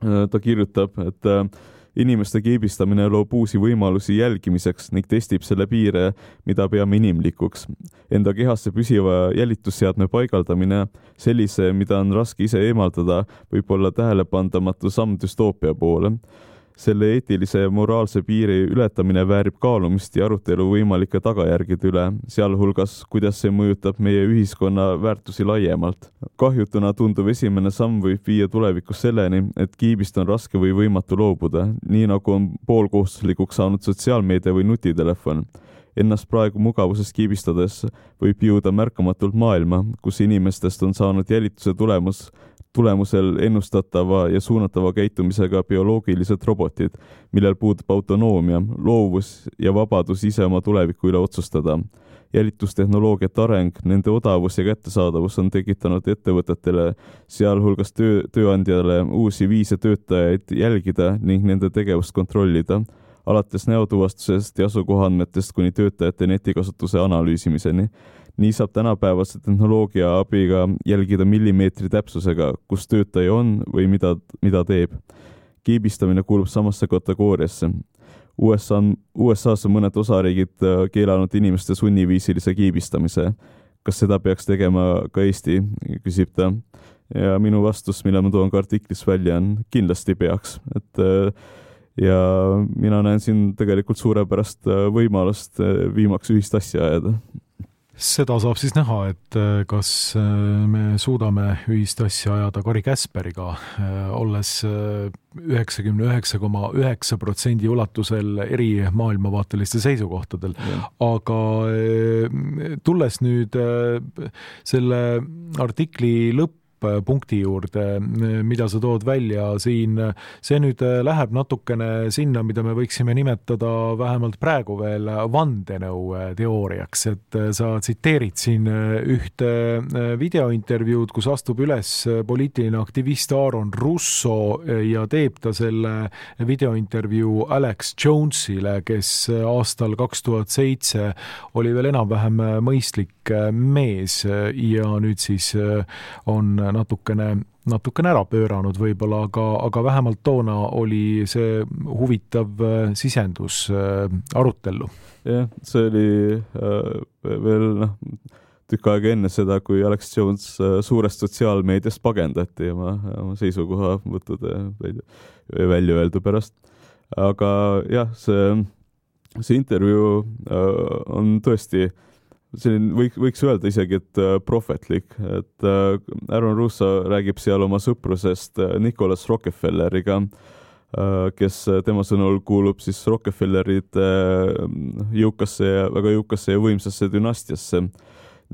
Ta kirjutab, et inimeste keebistamine loob uusi võimalusi jälgimiseks ning testib selle piire, mida peame inimlikuks. Enda kehasse püsiva jälitusseadme paigaldamine, sellise, mida on raske ise eemaldada, võib olla tähelepandamatu samm düstoopia poole. Selle eetilise ja moraalse piiri ületamine väärib kaalumist ja arutelu võimalike tagajärgede üle, sealhulgas, kuidas see mõjutab meie ühiskonna väärtusi laiemalt. Kahjutuna tunduv esimene samm võib viia tulevikus selleni, et kiibist on raske või võimatu loobuda, nii nagu on poolkohustuslikuks saanud sotsiaalmeedia või nutitelefon. Ennast praegu mugavusest kiibistades võib jõuda märkamatult maailma, kus inimestest on saanud jälituse tulemusel ennustatava ja suunatava käitumisega bioloogilised robotid, millel puudub autonoomia, loovus ja vabadus ise oma tuleviku üle otsustada. Jälitustehnoloogiate areng, nende odavus ja kättesaadavus on tekitanud ettevõtetele, sealhulgas tööandjale uusi viise töötajaid jälgida ning nende tegevust kontrollida, alates näotuvastusest ja asukohaandmetest kuni töötajate netikasutuse analüüsimiseni. Nii saab tänapäevase tehnoloogia abiga jälgida millimeetri täpsusega, kus töötaja on või mida teeb. Kiibistamine kuulub samasse kategooriasse. USA-s on mõned osariigid keelanud inimeste sunniviisilise kiibistamise. Kas seda peaks tegema ka Eesti, küsib ta. Ja minu vastus, mille ma toon ka artiklis välja, on kindlasti peaks. Ja mina näen siin tegelikult suurepärast võimalust viimaks ühist asja ajada. Seda saab siis näha, et kas me suudame ühist asja ajada Kari Käsperiga, olles 99,9% ulatusel eri maailmavaateliste seisukohtadel. Aga tulles nüüd selle artikli punkti juurde, mida sa tood välja siin, see nüüd läheb natukene sinna, mida me võiksime nimetada vähemalt praegu veel vandenõu teooriaks, et sa tsiteerid siin ühte videointervjuud, kus astub üles poliitiline aktivist Aaron Russo ja teeb ta selle videointervjuu Alex Jonesile, kes aastal 2007 oli veel enam-vähem mõistlik mees ja nüüd siis on natukene ära pööranud võib-olla, aga vähemalt toona oli see huvitav sisendus arutellu. Jah, see oli veel tükk aega enne seda, kui Alex Jones suurest sotsiaalmeediast pagendati oma seisukoha võttude välja öeldu pärast. Aga jah, see intervjuu on tõesti võiks öelda isegi, et prohvetlik, et Aaron Russo räägib seal oma sõprusest Nicholas Rockefelleriga, kes tema sõnul kuulub siis Rockefellerite väga jõukasse ja võimsasse dünastiasse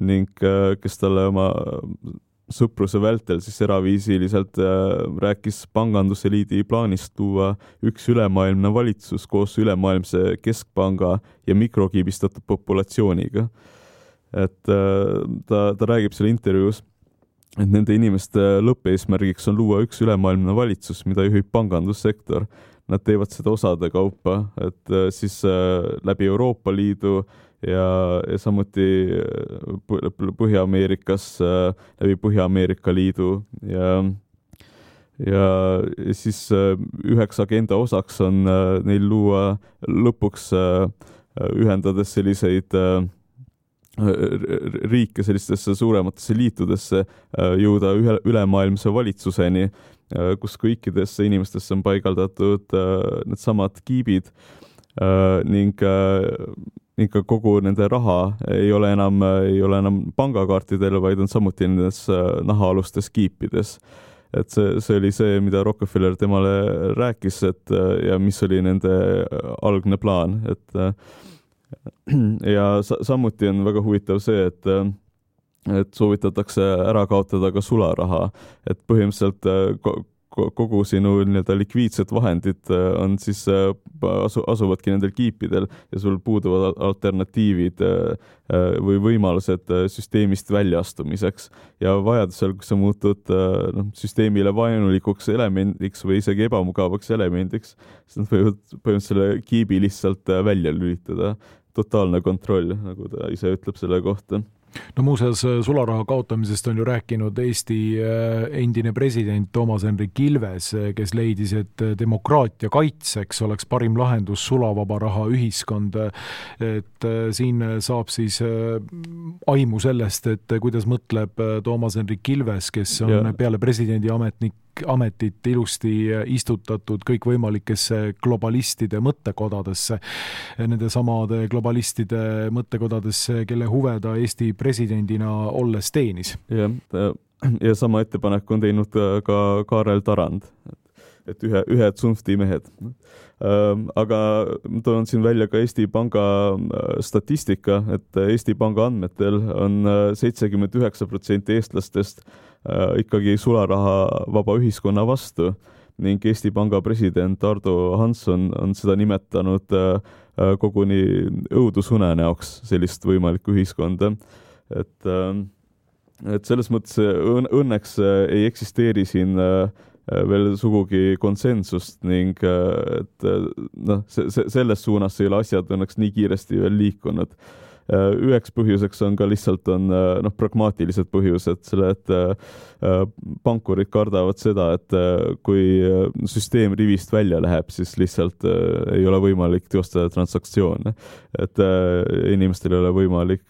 ning kes talle oma sõpruse vältel siis eraviisiliselt rääkis panganduseliidi plaanist luua üks ülemaailmne valitsus koos ülemaailmse keskpanga ja mikrokiibistatud populatsiooniga. Et ta räägib selle intervjuus, et nende inimeste lõppeesmärgiks on luua üks ülemaailmne valitsus, mida juhib pangandussektor. Nad teevad seda osade kaupa, et siis läbi Euroopa Liidu ja samuti Põhja-Ameerikas läbi Põhja-Ameerika Liidu ja siis üheks agenda osaks on neil luua lõpuks ühendades selliseid riike sellistesse suurematesse liitudesse jõuda ülemaailmse valitsuseni, kus kõikidesse inimestesse on paigaldatud need samad kiibid ning ka kogu nende raha ei ole enam pangakaartidel, vaid on samuti nendes nahaalustes kiipides. et see oli see, mida Rockefeller temale rääkis, et ja mis oli nende algne plaan, et ja samuti on väga huvitav see, et soovitatakse ära kaotada ka sularaha, et põhimõtteliselt kogu sinu nii-öelda likviidsed vahendid on siis asuvadki nendel kiipidel ja sul puuduvad alternatiivid või võimalused süsteemist väljaastumiseks ja vajadusel, kui sa muutud süsteemile vaenulikuks elemendiks või isegi ebamugavaks elemendiks, siis nad võivad põhimõtteliselt selle kiibi lihtsalt välja lülitada. Totaalne kontroll, nagu ta ise ütleb selle kohta. No muuseas, sularaha kaotamisest on ju rääkinud Eesti endine president Toomas Hendrik Ilves, kes leidis, et demokraatia kaitseks oleks parim lahendus sulavaba raha ühiskond. Et siin saab siis aimu sellest, et kuidas mõtleb Toomas Hendrik Ilves, kes on peale presidendi ametit ilusti istutatud kõikvõimalikesse globalistide mõttekodadesse, nende samade globalistide mõttekodadesse, kelle huve ta Eesti presidendina olles teenis. Ja sama ettepanek on teinud ka Kaarel Tarand, et ühed Zunfti mehed. Aga toon siin välja ka Eesti Panga statistika, et Eesti Panga andmetel on 79% eestlastest ikkagi sularaha vaba ühiskonna vastu ning Eesti Panga president Ardo Hansson on seda nimetanud koguni õudusunenäoks sellist võimalikku ühiskonda. Et selles mõttes õnneks ei eksisteeri siin veel sugugi konsensust ning et selles suunas ei ole asjad õnneks nii kiiresti veel liikunud. Üheks põhjuseks on ka lihtsalt pragmaatilised põhjused, et pankurid kardavad seda, et kui süsteem rivist välja läheb, siis lihtsalt ei ole võimalik teostada transaktsioone, et inimestel ei ole võimalik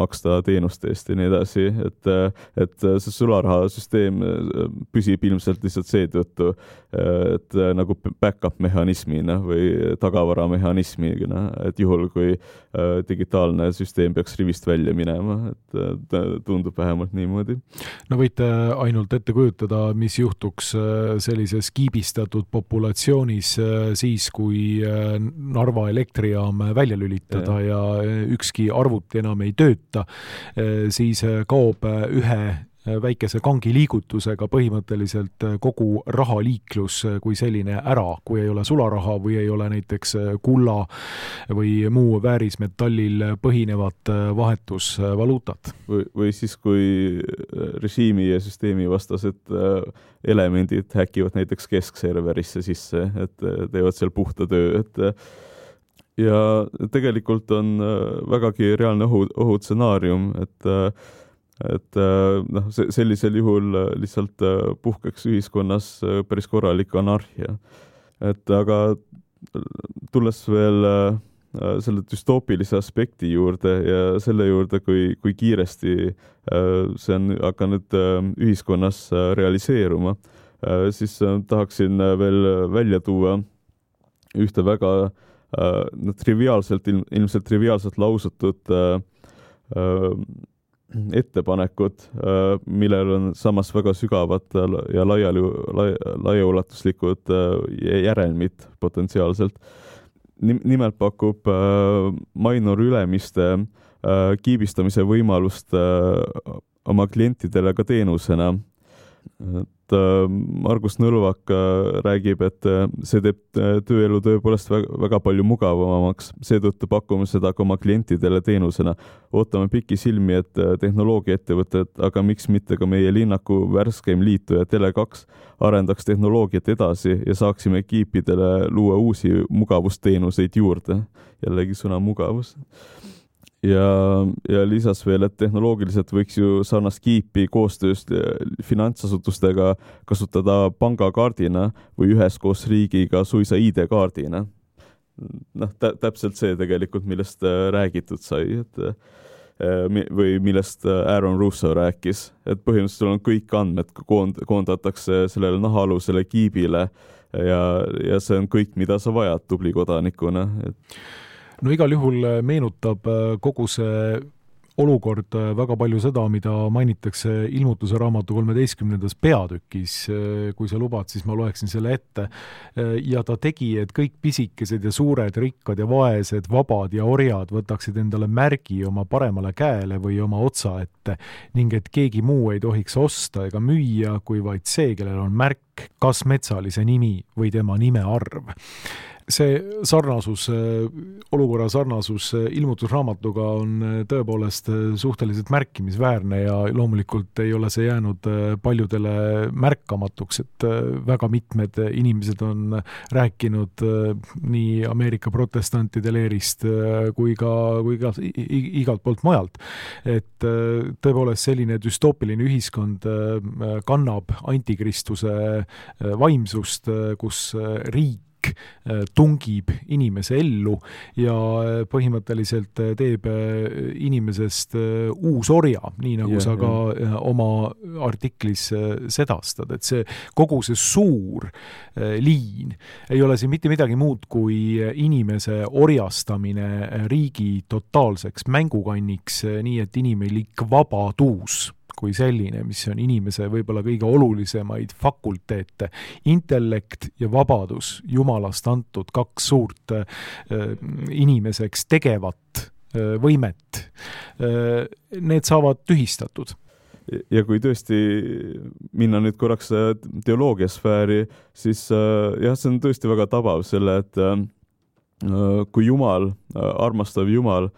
maksta teenuste eest ja nii edasi, et see sularahasüsteem püsib ilmselt lihtsalt seetõttu, et nagu back-up mehhanismina või tagavaramehhanismina, et juhul kui digitaalne süsteem peaks rivist välja minema, et tundub vähemalt niimoodi. No võite ainult ette kujutada, mis juhtuks sellises kiibistatud populatsioonis siis, kui Narva elektrijaam välja lülitada ja ükski arvuti enam ei tööta, siis kaob ühe väikese kangi liigutusega põhimõtteliselt kogu rahaliiklus kui selline ära, kui ei ole sularaha või ei ole näiteks kulla või muu väärismetallil põhinevat vahetusvaluutat. Või siis, kui režiimi ja süsteemi vastased elemendid häkivad näiteks keskserverisse sisse, et teevad seal puhta töö, ja tegelikult on vägagi reaalne ohutsenaarium, et sellisel juhul lihtsalt puhkeks ühiskonnas päris korralik anarhia. Aga tulles veel selle düstoopilise aspekti juurde ja selle juurde, kui kiiresti see on hakanud ühiskonnas realiseeruma, siis tahaksin veel välja tuua ühte väga ilmselt triviaalselt lausutud ettepanekud, millel on samas väga sügavad ja laiaulatuslikud järelmid potentsiaalselt. Nimelt pakub Mainor Ülemiste kiibistamise võimalust oma klientidele ka teenusena. Margus Nõlvak räägib, et see teeb tööelu tõepoolest väga palju mugavamaks, seetõttu pakume seda ka oma klientidele teenusena. Ootame pikki silmi, et tehnoloogiaettevõtted, aga miks mitte ka meie linnaku värskeim liituja Tele2 arendaks tehnoloogiat edasi ja saaksime kiipidele luua uusi mugavusteenuseid juurde. Jällegi sõna mugavus. Ja lisas veel, et tehnoloogiliselt võiks ju sarnast kiipi koostööst finantsasutustega kasutada pangakaardina või üheskoos riigiga suisa ID-kaardina. Täpselt see tegelikult, millest räägitud sai, või millest Aaron Russo rääkis, et põhimõtteliselt on kõik andmed koondatakse sellele nahaalusele kiibile ja see on kõik, mida sa vajad tubli kodanikuna. No igal juhul meenutab kogu see olukord väga palju seda, mida mainitakse ilmutuse raamatu 13. peatükis, kui sa lubad, siis ma loeksin selle ette. Ja ta tegi, et kõik pisikesed ja suured, rikkad ja vaesed, vabad ja orjad võtaksid endale märgi oma paremale käele või oma otsa ette ning et keegi muu ei tohiks osta ega müüa, kui vaid see, kellel on märk, kas metsalise nimi või tema nime arv. See sarnasus, olukorra sarnasus ilmutusraamatuga on tõepoolest suhteliselt märkimisväärne ja loomulikult ei ole see jäänud paljudele märkamatuks, et väga mitmed inimesed on rääkinud nii Ameerika protestantide leerist kui ka igalt poolt mujalt. Et tõepoolest selline düstoopiline ühiskond kannab antikristuse vaimsust, kus riik tungib inimese ellu ja põhimõtteliselt teeb inimesest uusorja, nii nagu sa ka oma artiklis sedastad, et see kogu see suur liin ei ole siin mitte midagi muud kui inimese orjastamine riigi totaalseks mängukanniks, nii et inimelik vabadus kui selline, mis on inimese võib-olla kõige olulisemaid fakulteete, intellekt ja vabadus, jumalast antud kaks suurt inimeseks tegevat võimet, need saavad tühistatud. Ja kui tõesti minna nüüd korraks teoloogiasfääri, siis jah, see on tõesti väga tabav selle, et kui Jumal, armastav Jumal,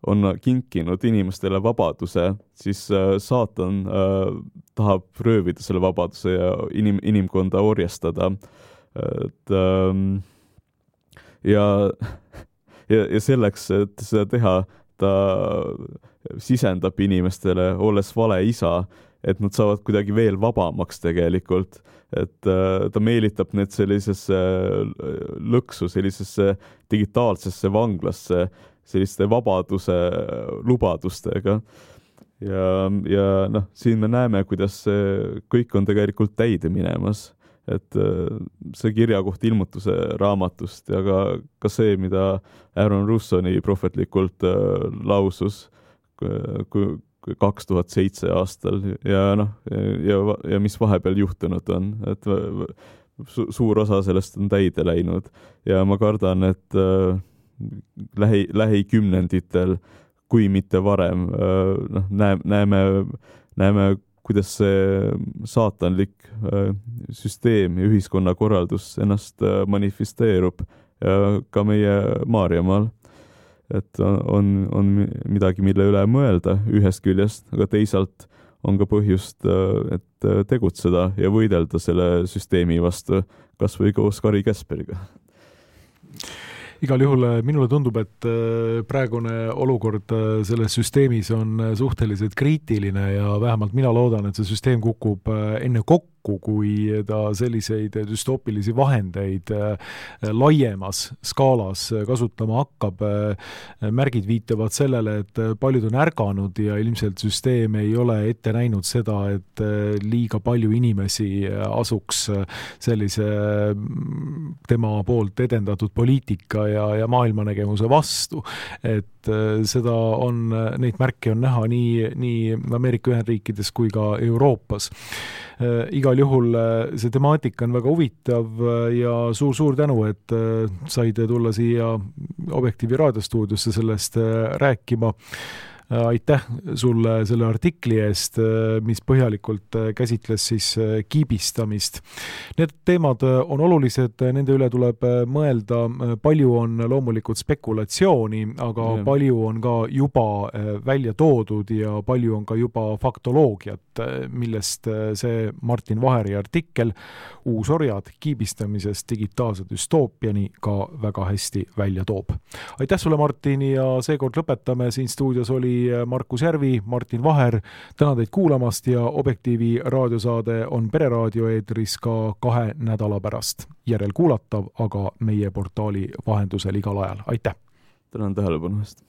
on kinkinud inimestele vabaduse, siis saatan tahab röövida selle vabaduse ja inimkonda orjastada. Et, ja selleks, et seda teha, ta sisendab inimestele, olles vale isa, et nad saavad kuidagi veel vabamaks tegelikult. Et ta meelitab need sellisesse lõksu, sellisesse digitaalsesse vanglasse, selliste vabaduse lubadustega. Ja noh, siin me näeme, kuidas see kõik on tegelikult täide minemas. Et see kirjakoht ilmutuse raamatust ja ka see, mida Aaron Russoni prohvetlikult lausus 2007 aastal ja noh, ja mis vahepeal juhtunud on, et suur osa sellest on täide läinud ja ma kardan, et lähikümnenditel, kui mitte varem, näeme, kuidas see saatanlik süsteem ja ühiskonnakorraldus ennast manifesteerub ka meie Maarjamaal. Et on midagi, mille üle mõelda ühest küljest, aga teisalt on ka põhjust, et tegutseda ja võidelda selle süsteemi vastu, kas või koos Kari Käsperiga. Igal juhul minule tundub, et praegune olukord selles süsteemis on suhteliselt kriitiline ja vähemalt mina loodan, et see süsteem kukub enne kokku, kui ta selliseid düstoopilisi vahendeid laiemas skaalas kasutama hakkab. Märgid viitavad sellele, et paljud on ärganud ja ilmselt süsteem ei ole ette näinud seda, et liiga palju inimesi asuks sellise tema poolt edendatud poliitika ja maailmanägemuse vastu. Et seda neid märke on näha nii Ameerika Ühendriikides kui ka Euroopas. Igal juhul see temaatika on väga huvitav ja suur tänu, et said tulla siia Objektiivi raadiostuudiosse sellest rääkima. Aitäh sulle selle artikli eest, mis põhjalikult käsitles siis kiibistamist. Need teemad on olulised, nende üle tuleb mõelda. Palju on loomulikult spekulatsiooni, aga palju on ka juba välja toodud ja palju on ka juba faktoloogiat, millest see Martin Vaheri artikkel Uusorjad kiibistamisest digitaalse düstoopiani ka väga hästi välja toob. Aitäh sulle, Martin, ja seekord lõpetame. Siin stuudios oli Markus Järvi, Martin Vaher. Tänan teid kuulamast ja Objektiivi raadiosaade on Pereraadio eetris ka 2 nädala pärast. Järelkuulatav, aga meie portaali vahendusel igal ajal. Aitäh! Tänan tähelepanu eest!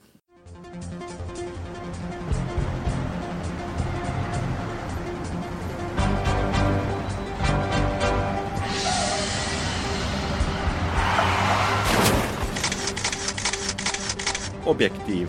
Objektiiv.